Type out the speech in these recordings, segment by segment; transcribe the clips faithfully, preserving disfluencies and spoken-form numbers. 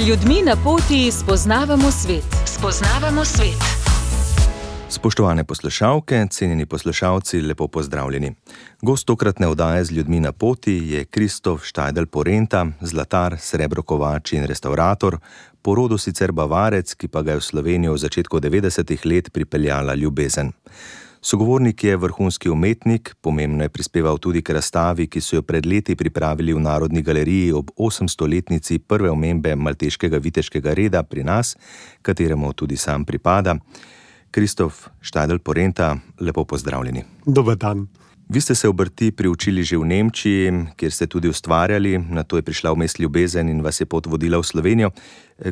ljudmi na poti spoznavamo svet. Spoznavamo svet. Spoštovane poslušalke, cenjeni poslušalci, lepo pozdravljeni. Gost tokratne oddaje Z ljudmi na poti je Kristof Štajdl-Porenta, zlatar, srebrokovač in restaurator, po rodu sicer Bavarec, ki pa ga je v Slovenijo v začetku devetdesetih let pripeljala ljubezen. Sogovornik je vrhunski umetnik, pomembno je prispeval tudi k razstavi, ki so jo pred leti pripravili v Narodni galeriji ob osemstoletnici prve omembe malteškega viteškega reda pri nas, kateremu tudi sam pripada. Kristof Štajdl-Porenta, lepo pozdravljeni. Dober dan. Vi ste se obrti priučili že v Nemčiji, kjer ste tudi ustvarjali, nato je prišla vmes ljubezen in vas je pot vodila v Slovenijo.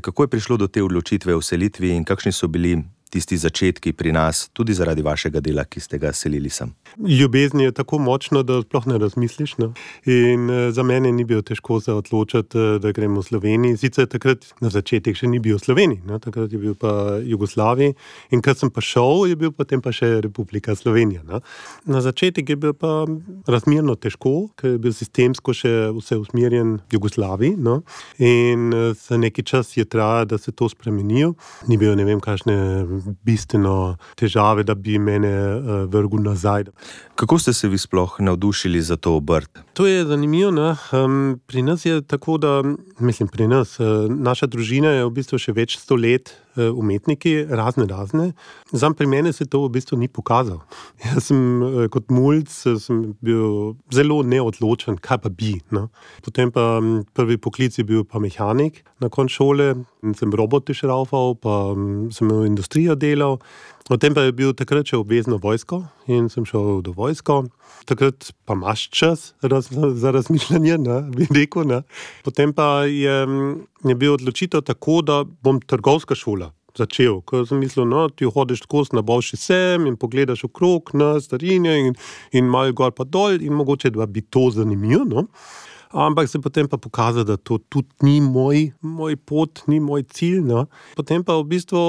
Kako je prišlo do te odločitve o selitvi in kakšni so bili tisti začetki pri nas, tudi zaradi vašega dela, ki ste ga selili sem? Ljubezen je tako močno, da sploh ne razmisliš. No? In uh, za mene ni bilo težko se odločiti, da gremo v Sloveniji. Sicer takrat na začetek še ni bil v Sloveniji, no? Takrat je bil pa Jugoslaviji. In kad sem pa šel, je bil potem pa še Republika Slovenija. No? Na začetek je bil pa razmerno težko, ker je bil sistemsko še vse usmerjen v Jugoslaviji. No? In uh, za neki čas je trajalo, da se to spremenijo. Ni bilo ne vem kakšne bistveno težave, da bi mene uh, vrgel nazaj. Kako ste se vi sploh navdušili za to obrt? To je zanimivo, ne? Um, pri nas je tako, da, mislim pri nas, uh, naša družina je v bistvu še več sto let uh, umetniki, razne, razne. Zam pri mene se to v bistvu ni pokazal. Jaz sem uh, kot mulc sem bil zelo neodločen, kaj pa bi. No? Potem pa um, prvi poklic je bil pa mehanik na koncu šole, sem robote šraufal, pa um, sem v industrijo delal. Potem pa je bil takrat še obvezno vojsko in sem šel do vojsko. Takrat pa imaš čas raz, za razmišljanje, ne, bi rekel. Ne. Potem pa je, je bil odločitev tako, da bom trgovska šola začel. Ko sem mislil, no, ti hodiš tako na boljši sem in pogledaš okrog na starinje in, in malo gor pa dol in mogoče da bi to zanimivo, no. Ampak se potem pa pokazalo, da to tudi ni moj, moj pot, ni moj cilj. No. Potem pa v bistvu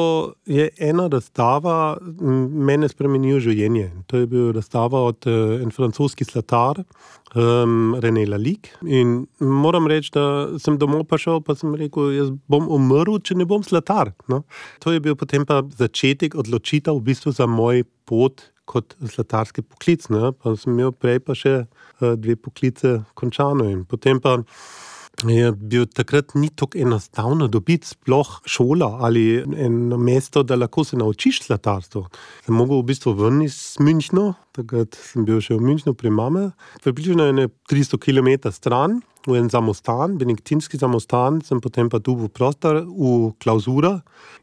je ena razstava mene spremenila življenje. To je bil razstava od uh, en francoski zlatar, um, René Lalique. In moram reči, da sem domov prišel, pa sem rekel, jaz bom umrl, če ne bom zlatar. No. To je bil potem pa začetek odločitev v bistvu za moj pot kot zlatarski poklic, ne? Pa sem imel prej pa še uh, dve poklice končano in potem pa je bil takrat ni tako enostavno dobiti sploh šola ali eno mesto, da lahko se naučiš zlatarstvo. Sem mogel v bistvu ven iz Münchna, takrat sem bil še v Münchnu pri mame, približno ene tristo kilometrov stran, v en samostan, benediktinski samostan, sem potem pa dobil prostor v klauzura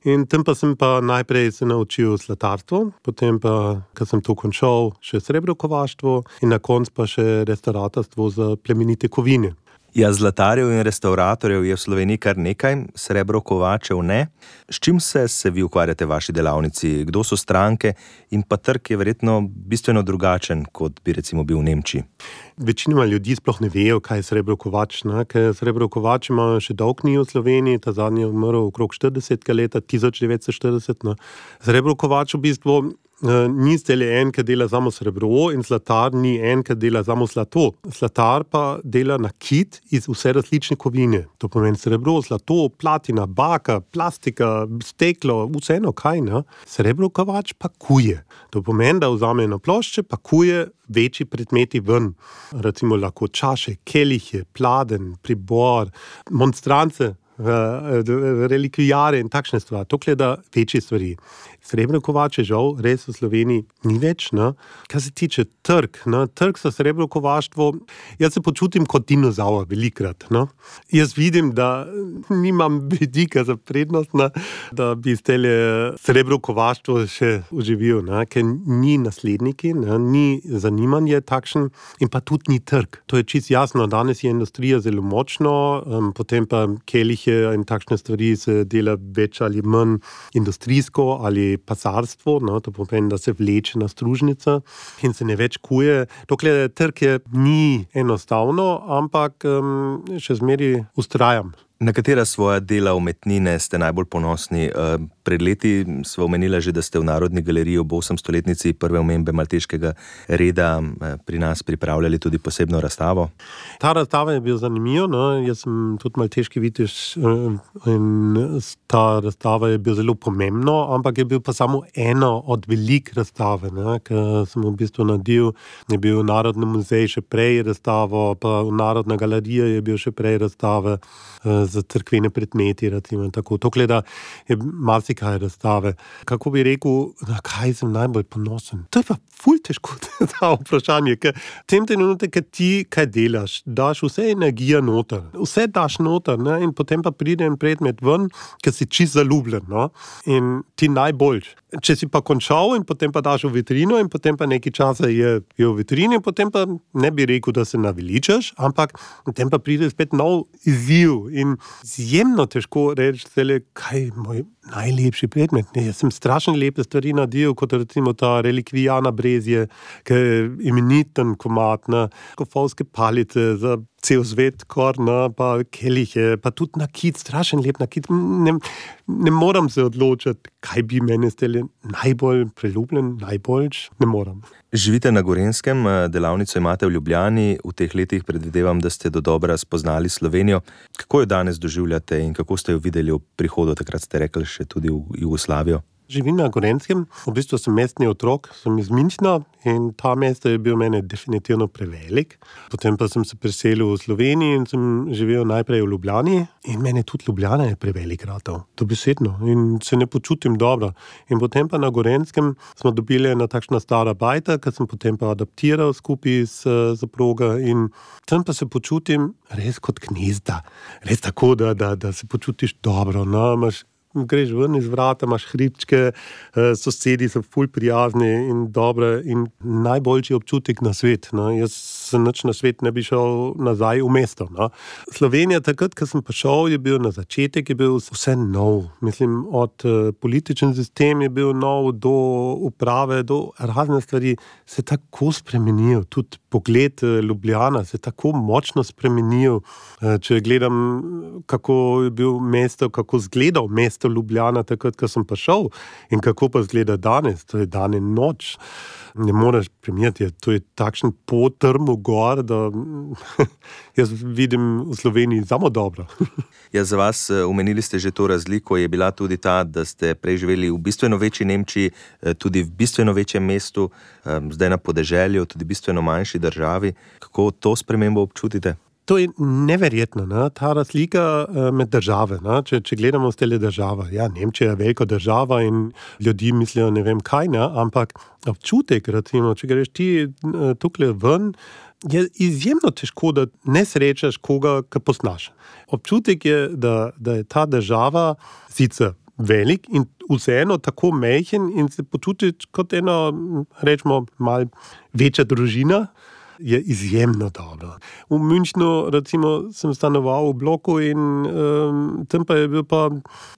in tam pa sem pa najprej se naučil zlatarstvo, potem pa, ko sem to končal, še srebrokovaštvo in na koncu pa še restauratorstvo za plemenite kovine. Ja, zlatarjev in restauratorjev je v Sloveniji kar nekaj, srebrokovačev ne. S čim se se vi ukvarjate v vaši delavnici? Kdo so stranke? In pa trg je verjetno bistveno drugačen, kot bi recimo bil v Nemčiji. Večinoma ljudi sploh ne vejo, kaj je srebrokovač, ne? Ker srebrokovač ima še dolg ni v Sloveniji, ta zadnji je umrl okrog štiridesetega leta, tisoč devetsto štirideset. Ne? Srebrokovač v bistvu Uh, ni zdaj en, ki dela samo srebro in zlatar ni en, ki dela samo zlato. Zlatar pa dela nakit iz vse različne kovine. To pomeni srebro, zlato, platina, baka, plastika, steklo, vseeno kaj, ne? Srebrokovač pa kuje. To pomeni, da vzame eno plošče, pa kuje večji predmeti ven. Recimo lahko čaše, kelihe, pladen, pribor, monstrance, relikvijare in takšne stvari. To gleda večje stvari. Srebrokovače žal res v Sloveniji ni več. Ne? Kar se tiče trg, ne? Trg za srebrokovaštvo, jaz se počutim kot dinozaur velikrat. Ne? Jaz vidim, da nimam vidika za prednost, ne? Da bi zdajle srebrokovaštvo še uživil, ne? Ker ni nasledniki, ne? Ni zanimanje takšen in pa tudi ni trg. To je čisto jasno, danes je industrija zelo močno, um, potem pa kelihe in takšne stvari se dela več ali manj industrijsko ali pasarstvo, no, to pomeni, da se vleče na stružnica in se ne več kuje. Dokler trg je ni enostavno, ampak um, še zmeri ustrajam. Na katera svoja dela umetnine ste najbolj ponosni? Pred leti sva omenila že, da ste v Narodni galeriji ob osemstoletnici prve omembe malteškega reda pri nas pripravljali tudi posebno razstavo. Ta razstava je bil zanimiv, no? Jaz sem tudi malteški vitež in ta razstava je bil zelo pomembno, ampak je bil pa samo eno od velik razstave, ne? Ker sem v bistvu naredil, je bil Narodni muzej še prej razstavo, pa Narodna galerija je bil še prej razstave za crkvene predmeti, recimo tako. To gleda je marsikaj razstave. Kako bi rekel, na kaj sem najbolj ponosen? To je pa ful težko ta vprašanje, ker v tem trenutku, ker ti kaj delaš, daš vse energijo noter, vse daš noter, ne? In potem pa pride en predmet ven, ker si čist zaljubljen, no? In ti najboljš. Če si pa končal in potem pa daš v vitrino in potem pa nekaj časa je, je v vitrini, potem pa ne bi rekel, da se naveličaš, ampak potem pa pride spet nov izziv in izjemno težko reči, kaj je moj najlepši predmet. Ne, jaz sem strašno lepe stvari naredil, kot recimo ta relikvijana brezje, ki je imeniten komad, na kofovske palice za cel svet, korna, pa kelihe, pa tudi nakit, strašen lep nakit. Ne, ne moram se odločiti, kaj bi mene stele najbolj priljubljen, najboljš, ne moram. Živite na Gorenjskem, delavnico imate v Ljubljani, v teh letih predvidevam, da ste dodobra spoznali Slovenijo. Kako jo danes doživljate in kako ste jo videli v prihodu, takrat ste rekli še tudi v Jugoslavijo? Živim na Gorenjskem, v bistvu sem mestni otrok, sem iz Münchna in ta mesto je bil mene definitivno prevelik. Potem pa sem se preselil v Sloveniji in sem živel najprej v Ljubljani in mene tudi Ljubljana je prevelik ratov, dobesedno, in se ne počutim dobro. In potem pa na Gorenjskem smo dobili ena takšna stara bajta, ki sem potem pa adaptiral skupaj s zaproga in tam pa se počutim res kot gnezda. Res tako, da, da, da se počutiš dobro, no, imaš greš ven iz vrata, imaš hribčke, sosedi so ful prijazni in dobre in najboljši občutek na svet. No. Jaz se nič na svet ne bi šel nazaj v mesto. No. Slovenija takrat, ko sem prišel, je bil na začetek, je bil vse nov. Mislim, od političen sistem je bil nov, do uprave, do razne stvari se tako spremenil. Tudi pogled Ljubljana se tako močno spremenil. Če gledam, kako je bil mesto, kako zgledal mesto Ljubljana takrat, ko sem prišel in kako pa zgleda danes, to je dan in noč. Ne moreš primerjati, to je takšen potrmo gor, da jaz vidim v Sloveniji samo dobro. Ja, za vas, omenili ste že to razliko, je bila tudi ta, da ste prej živeli v bistveno večji Nemčiji, tudi v bistveno večjem mestu, zdaj na podeželju, tudi bistveno manjši državi. Kako to spremembo občutite? To je neverjetno, ne? Ta razlika med države. Ne? Če, če gledamo stele države, ja, Nemčija je velika država in ljudi mislijo ne vem kaj, ne? Ampak občutek, recimo, če greš ti tukaj ven, je izjemno težko, da ne srečaš koga, ki poznaš. Občutek je, da, da je ta država sicer velik in vseeno tako majhen in se počutiš kot ena, rečemo, mal večja družina, je izjemno dobro. V Münchnu, recimo, sem stanoval v bloku in um, tam pa je bil pa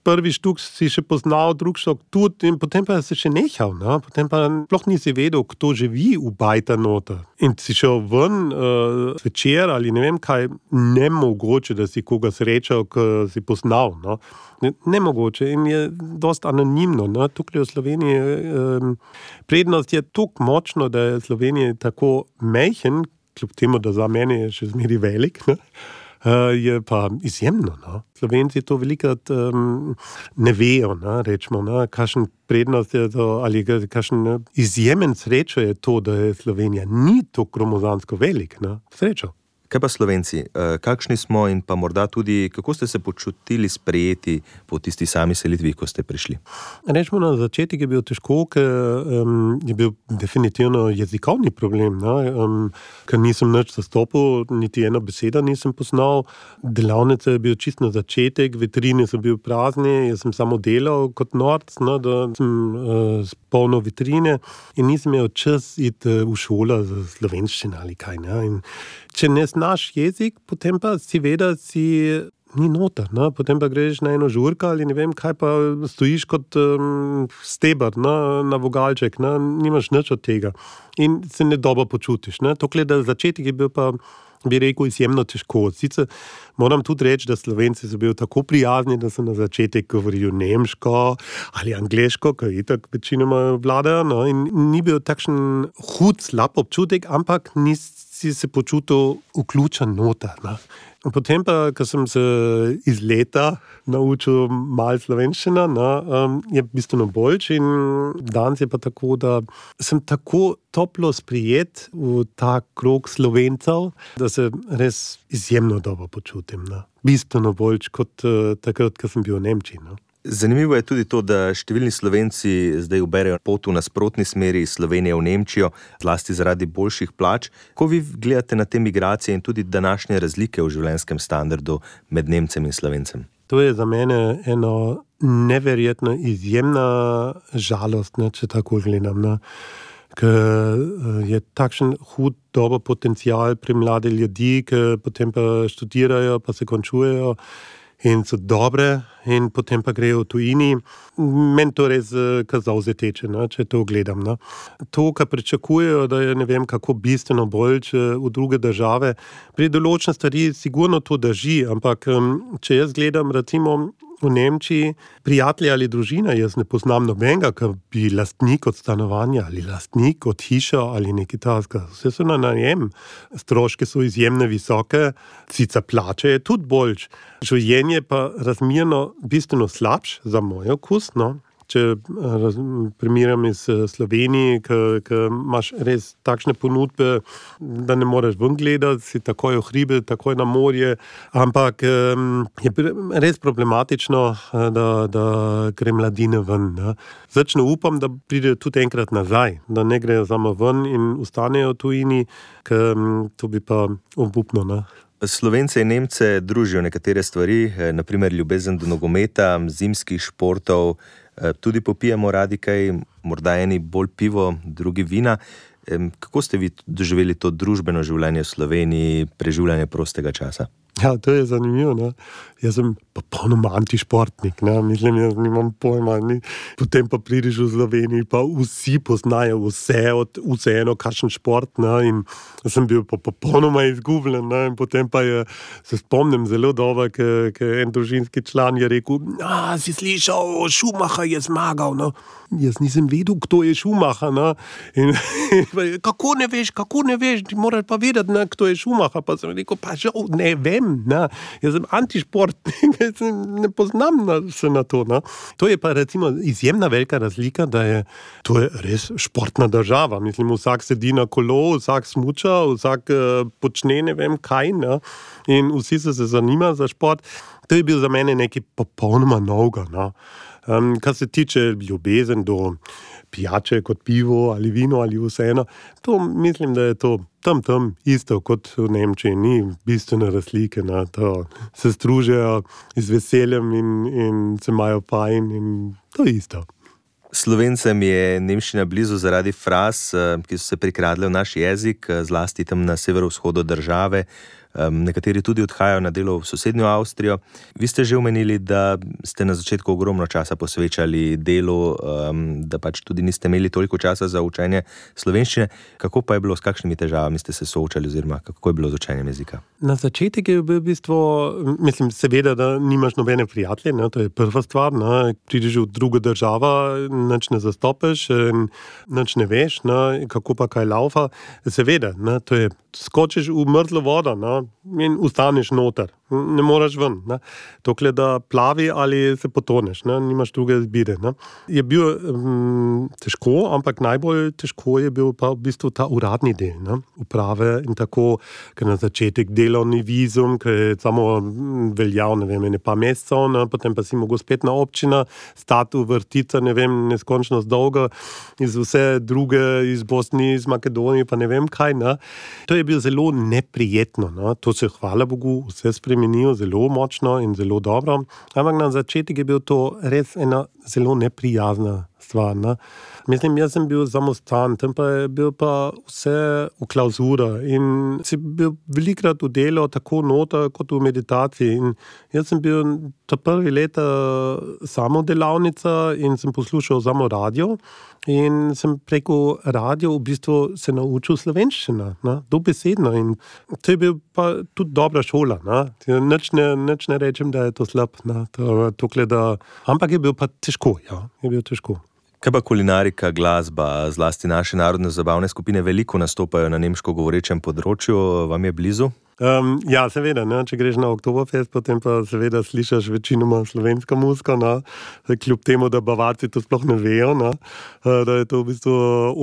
prvi štuk si še poznal, drug štuk tudi in potem pa se še nehal, no? Potem pa sploh nisi vedel, kdo živi v bajta nota. In si šel ven uh, večer ali ne vem kaj, nemogoče, da si koga srečal, ki si poznal, no? Nemogoče in je dosti anonimno. No? Tukaj v Sloveniji um, prednost je tako močno, da je Slovenija tako majhen, kljub temu, da za mene je še zmeri velik, ne? Uh, je pa izjemno. No? Slovenci to velikrat um, ne vejo, ne? Rečemo, ne? Kakšen prednost je to, ali kakšen izjemen srečo je to, da je Slovenija ni to gromozansko velik. Ne? Srečo. Kaj pa Slovenci? Kakšni smo in pa morda tudi, kako ste se počutili sprejeti po tisti sami selitvi, ko ste prišli? Rečemo, na začetek je bil težko, ker um, je bil definitivno jezikovni problem, um, ker nisem nič zastopil, niti eno besedo nisem poznal. Delavnice je bil čist na začetek, vitrine so bil prazni, jaz sem samo delal kot norc, no, da sem uh, spolnil vitrine in nisem imel čas iti v šolo za slovenščino ali kaj. Ne? In če ne znaš jezik, potem pa si veda, si ni noter, ne? Potem pa greš na eno žurka ali ne vem kaj, pa stojiš kot um, steber, ne? Na vogalček, ne? Nimaš nič od tega in se ne dobro počutiš. Ne? Tokle, da začetek je bil pa bi rekel, izjemno težko. Sicer moram tudi reči, da Slovenci so bili tako prijazni, da so na začetek govorili nemško ali angleško, ker itak večinoma vladajo, no, in ni bil takšen hud, slab občutek, ampak nisi se počutil vključen noter. No. Potem pa, ko sem se iz leta naučil malo slovenščina, no, um, je bistveno boljš in danes je pa tako, da sem tako toplo sprijet v ta krog Slovencev, da se res izjemno dobro počutim. No. Bistveno boljš kot uh, takrat, ko sem bil v Nemčiji. No. Zanimivo je tudi to, da številni Slovenci zdaj uberejo pot v nasprotni smeri iz Slovenije v Nemčijo, zlasti zaradi boljših plač. Ko vi gledate na te migracije in tudi današnje razlike v življenjskem standardu med Nemcem in Slovencem? To je za mene eno neverjetno izjemna žalost, ne, če tako gledam. Ne. Ker je takšen hud dober potencial pri mladi ljudi, ki potem pa študirajo, pa se končujejo in so dobre in potem pa grejo v tujini. Meni to res kar zavzeteče, no, če to gledam. No. To, kar pričakujejo, da je ne vem kako bistveno bolj v druge države, pri določene stvari sigurno to drži, ampak če jaz gledam recimo v Nemčiji, prijatelji ali družina, jaz ne poznam nobenega, ki bi lastnik od stanovanja ali lastnik od hiša ali nekaj takega. Vse so na najem. Stroške so izjemno visoke, sicer plače je tudi boljš. Življenje pa razmerno bistveno slabš za moj okus, no. Če primerjam iz Slovenije, ki imaš res takšne ponudbe, da ne moreš ven gledati, si takoj v hribe, takoj na morje, ampak je res problematično, da, da gre mladine ven. Ne. Začne upam, da pride tudi enkrat nazaj, da ne grejo samo ven in ostanejo v tujini, ker to bi pa obupno. Ne. Slovence in Nemce družijo nekatere stvari, naprimer ljubezen do nogometa, zimskih športov, tudi popijemo radi kaj, morda eni bolj pivo, drugi vina. Kako ste vi doživeli to družbeno življenje v Sloveniji, preživljanje prostega časa? Ja, to je zanimivo, ne. Jaz sem popolnoma antišportnik, ne. Mislim, jaz nimam pojma, ni. Potem pa prideš v Sloveniji, pa vsi poznajo vse, od vseeno kakšen šport, ne, in sem bil pa popolnoma izgubljen, ne, in potem pa je, se spomnim zelo dobro, ker en družinski član je rekel, a, si slišal, Schumacher je zmagal, no. Jaz nisem vedel, kdo je Schumacher, ne, in, in kako ne veš, kako ne veš, ti moraš pa vedeti, ne, kdo je Schumacher, pa sem rekel, pa žal, ne vem, ne, jaz sem antišportnik, jaz ne poznam na, se na to, ne. To je pa recimo izjemna velika razlika, da je, to je res športna država, mislim, vsak sedi na kolo, vsak smuča, vsak uh, počne ne vem kaj, ne, in vsi se se zanima za šport. To je bil za mene nekaj popolnoma novega, no. Um, kar se tiče ljubezen do pijače kot pivo ali vino ali vseeno, to mislim, da je to tam tam isto kot v Nemčiji, ni bistvene razlike, na to se združijo z veseljem in, in se imajo fajn in to je isto. Slovencem je nemščina blizu zaradi fraz, ki so se prikradle v naš jezik, zlasti tam na severovzhodu države. Nekateri tudi odhajajo na delo v sosednjo Avstrijo. Vi ste že omenili, da ste na začetku ogromno časa posvečali delu, da pač tudi niste imeli toliko časa za učenje slovenščine. Kako pa je bilo, s kakšnimi težavami ste se soočali oziroma kako je bilo z učenjem jezika? Na začetek je bil v bistvu, mislim, seveda, da nimaš nobene prijatelje, ne, to je prva stvar, ne, prideš v drugo državo, nič ne zastopiš, nič ne veš, ne, kako pa kaj laufa. Seveda, ne, to je, skočiš v mrzlo vodo, ne, in ustaneš noter, ne moraš ven, ne. Dokler da plavi ali se potoneš, ne, nimaš druge izbire. Ne. Je bil um, težko, ampak najbolj težko je bil pa v bistvu ta uradni del, ne, uprave in tako, ker na začetek delovni vizum, ker je samo veljal, ne vem, ne pa mesecev, ne, potem pa si mogel spet na občina, stati v vrtica, ne vem, neskončnost dolgo, iz vse druge, iz Bosni, iz Makedonije, pa ne vem kaj, ne. To je bil zelo neprijetno, ne. To se, hvala Bogu, vse spremenijo zelo močno in zelo dobro, ampak na začetek je bil to res ena zelo neprijazna stvar, ne. Mislim, jaz sem bil samostan, tam pa je bil pa vse v klauzura in si bil velikrat v delo tako nota kot v meditaciji in jaz sem bil ta prvi leta samo delavnica in sem poslušal samo radio in sem preko radio v bistvu se naučil slovenščina, ne, dobesedno in to je bil pa tudi dobra šola, ne. Nič ne, nič ne rečem, da je to slab, ne, to, tokle, da, ampak je bil pa težko, ja, je bil težko. Kaj pa kulinarika, glasba, zlasti naše narodne zabavne skupine veliko nastopajo na nemško govorečem področju, vam je blizu? Um, ja, seveda, ne? Če greš na Oktoberfest, potem pa seveda slišaš večinoma slovenska muzika, ne? Kljub temu, da Bavarci to sploh ne vejo, ne? Da je to v bistvu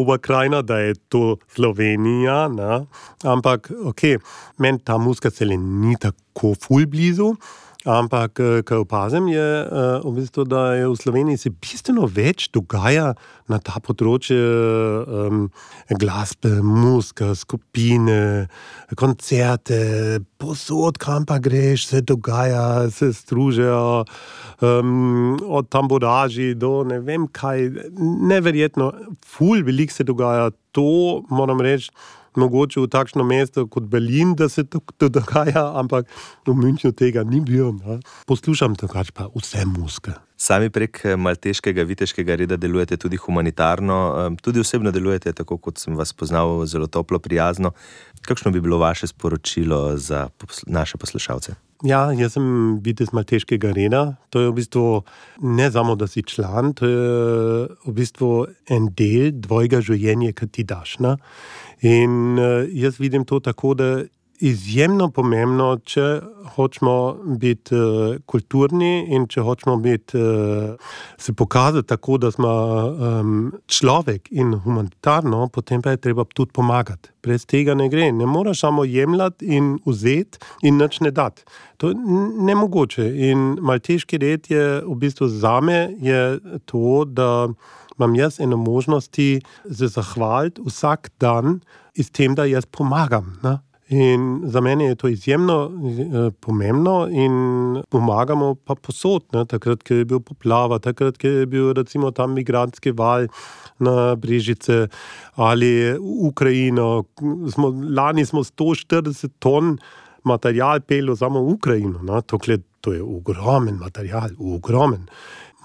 Oberkrajina, da je to Slovenija, ne? Ampak, ok, meni ta muzika cele ni tako ful blizu, ampak, kaj opazim, je v bistvu, da je v Sloveniji se bistveno več dogaja na ta področje um, glasbe, muzika, skupine, koncerte, posod, kam pa greš, se dogaja, se združijo, um, od tamboraži do ne vem kaj, neverjetno, ful veliko se dogaja, to moram reči, mogoče v takšno mesto kot Berlin, da se to, to dogaja, ampak v Münchnu tega ni bil. Ne? Poslušam drugače pa vse muzike. Sami prek malteškega viteškega reda delujete tudi humanitarno, tudi osebno delujete, tako kot sem vas poznal, zelo toplo, prijazno. Kakšno bi bilo vaše sporočilo za naše poslušalce? Ja, jaz sem vitez malteškega reda. To je v bistvu ne samo, da si član, to je v bistvu en del tvojega življenja, ki ti daš. Ne? In jaz vidim to tako, da izjemno pomembno, če hočemo biti uh, kulturni in če hočemo biti, uh, se pokazati tako, da smo um, človek in humanitarno, potem pa je treba tudi pomagati. Brez tega ne gre. Ne moraš samo jemljati in vzeti in nič ne dati. To je nemogoče. In malteški red je v bistvu zame je to, da imam jaz eno možnosti se zahvaliti vsak dan s tem, da jaz pomagam. Ne? In za mene je to izjemno eh, pomembno in pomagamo pa posod, ne? Takrat, ko je bil poplava, takrat, ko je bil recimo tam migrantski val na Brežice ali Ukrajino. Smo, lani smo sto štirideset ton material pelo samo v Ukrajino. Ne? Tokle, to je ogromen material, ogromen.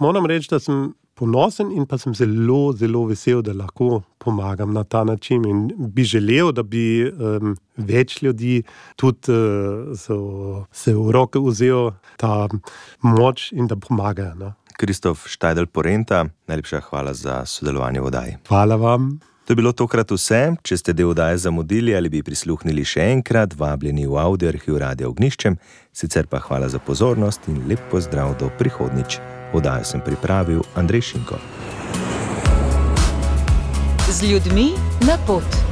Moram reči, da sem ponosen in pa sem zelo, zelo vesel, da lahko pomagam na ta način in bi želel, da bi um, več ljudi tudi uh, so, se v roke vzel ta moč in da pomagajo. No? Kristof Štajdl Porenta, najlepša hvala za sodelovanje v oddaji. Hvala vam. To je bilo tokrat vse. Če ste del oddaje zamudili ali bi prisluhnili še enkrat, vabljeni v audio arhiv Radia Ognjiščem, sicer pa hvala za pozornost in lep pozdrav do prihodnjič. Oddajo sem pripravil Andrej Šinko. Z ljudmi na pot.